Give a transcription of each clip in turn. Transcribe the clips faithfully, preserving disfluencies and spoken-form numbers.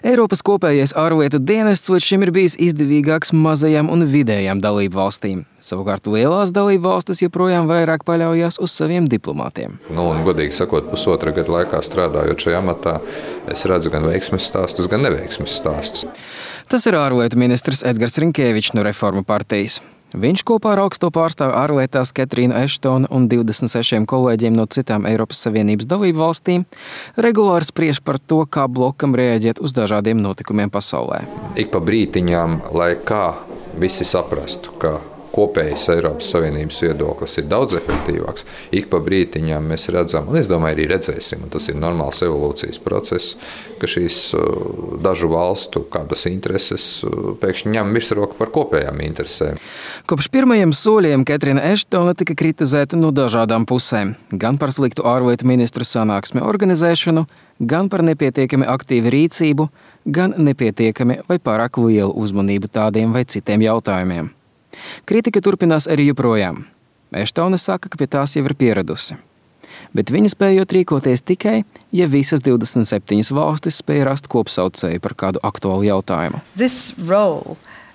Eiropas kopējais ārlietu dienests līdz šim ir bijis izdevīgāks mazajām un vidējām dalību valstīm. Savukārt lielās dalību valstis joprojām vairāk paļaujas uz saviem diplomātiem. Nu, un, godīgi sakot, pusotra gada laikā strādājot šajā amatā, es redzu gan veiksmes stāstus, gan neveiksmes stāstus. Tas ir ārlietu ministrs Edgars Rinkēvičs no Reformu partijas. Viņš kopā ar augsto pārstāvi ārlietās Ketrīnu Eštonu un divdesmit sešiem kolēģiem no citām Eiropas Savienības dalību valstīm regulāri spriež par to, kā blokam reaģēt uz dažādiem notikumiem pasaulē. Ik pa brītiņām, lai kā visi saprastu, ka kopējais Eiropas Savienības viedoklis ir daudz efektīvāks. Ik pa brītiņām mēs redzam, un es domāju, arī redzēsim, un tas ir normāls evolūcijas process, ka šīs dažu valstu kādas intereses pēkšņi ņem virsroku par kopējām interesēm. Kopš pirmajiem soļiem Ketrīna Eštona tika kritizēta no dažādām pusēm, gan par sliktu ārlietu ministru sanāksmi organizēšanu, gan par nepietiekami aktīvu rīcību, gan nepietiekami vai pārāk lielu uzmanību tādiem vai citiem jautājumiem. Kritika turpinās arī joprojām. Eštone saka, ka pie tās jau ir pieradusi. Bet viņa spējot rīkoties tikai, ja visas divdesmit septiņas valstis spēja rast kopsaucēju par kādu aktuālu jautājumu.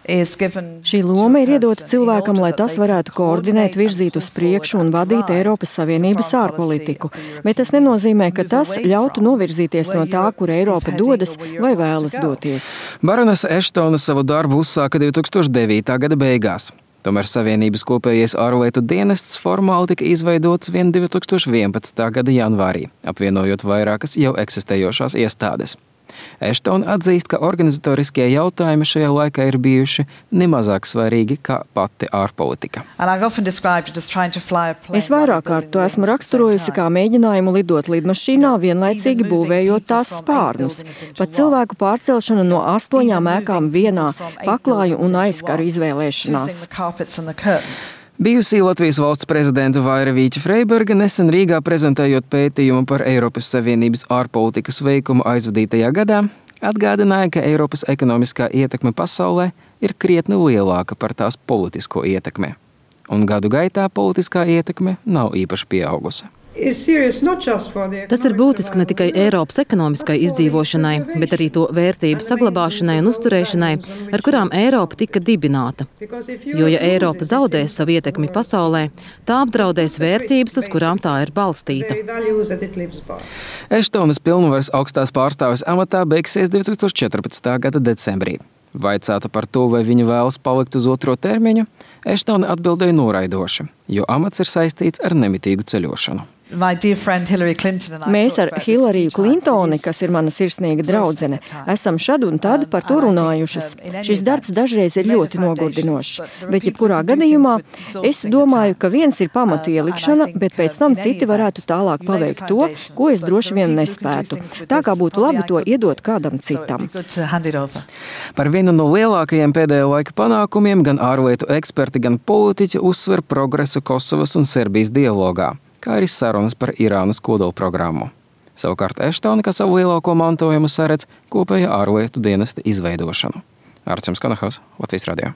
Šī loma ir iedota cilvēkam, lai tas varētu koordinēt, virzīt uz priekšu un vadīt Eiropas Savienības ārpolitiku. Bet tas nenozīmē, ka tas ļautu novirzīties no tā, kur Eiropa dodas vai vēlas doties. Baronese Eštone savu darbu uzsāka divi tūkstoši devītā gada beigās. Tomēr Savienības kopējais ārlietu dienests formāli tika izveidots vien divi tūkstoši vienpadsmitā gada janvārī, apvienojot vairākas jau eksistējošās iestādes. Eštone atzīst, ka organizatoriskie jautājumi šajā laikā ir bijuši nemazāk svarīgi kā pati ārpolitika. Es vairāk kārt to esmu raksturojusi kā mēģinājumu lidot lidmašīnā, vienlaicīgi būvējot tās spārnus. Pat cilvēku pārcelšana no astoņām ēkām vienā, paklāju un aizkaru izvēlēšanās. Bijusī Latvijas valsts prezidenta Vaira Vīķa-Freiberga nesen Rīgā prezentējot pētījumu par Eiropas Savienības ārpolitikas veikumu aizvadītajā gadā, atgādināja, ka Eiropas ekonomiskā ietekme pasaulē ir krietni lielāka par tās politisko ietekmi. Un gadu gaitā politiskā ietekme nav īpaši pieaugusi. Tas ir būtiski ne tikai Eiropas ekonomiskai izdzīvošanai, bet arī to vērtību saglabāšanai un uzturēšanai, ar kurām Eiropa tika dibināta. Jo, ja Eiropa zaudēs savu ietekmi pasaulē, tā apdraudēs vērtības, uz kurām tā ir balstīta. Eštonas pilnvaras augstās pārstāves amatā beigsies divi tūkstoši četrpadsmitā gada decembrī. Vaicāta par to, vai viņa vēlas palikt uz otro termiņu, Eštone atbildēja noraidoši, jo amats ir saistīts ar nemitīgu ceļošanu. Mēs ar Hillariju Klintoni, kas ir mana sirsnīga draudzene, esam šad un tad par to runājušas. Šis darbs dažreiz ir ļoti nogurdinošs, bet jebkurā gadījumā es domāju, ka viens ir pamatu ielikšana, bet pēc tam citi varētu tālāk paveikt to, ko es droši vien nespētu. Tā kā būtu labi to iedot kādam citam. Par vienu no lielākajiem pēdējo laika panākumiem gan ārlietu eksperti, gan politiķi uzsver progresu Kosovas un Serbijas dialogā, kā arī sarunas par Irānas kodolprogrammu. Savukārt Eštone, kā savu lielāko mantojumu, saredz kopējā ārlietu dienesta izveidošanu. Arčuns Kanahaus, Latvijas radio.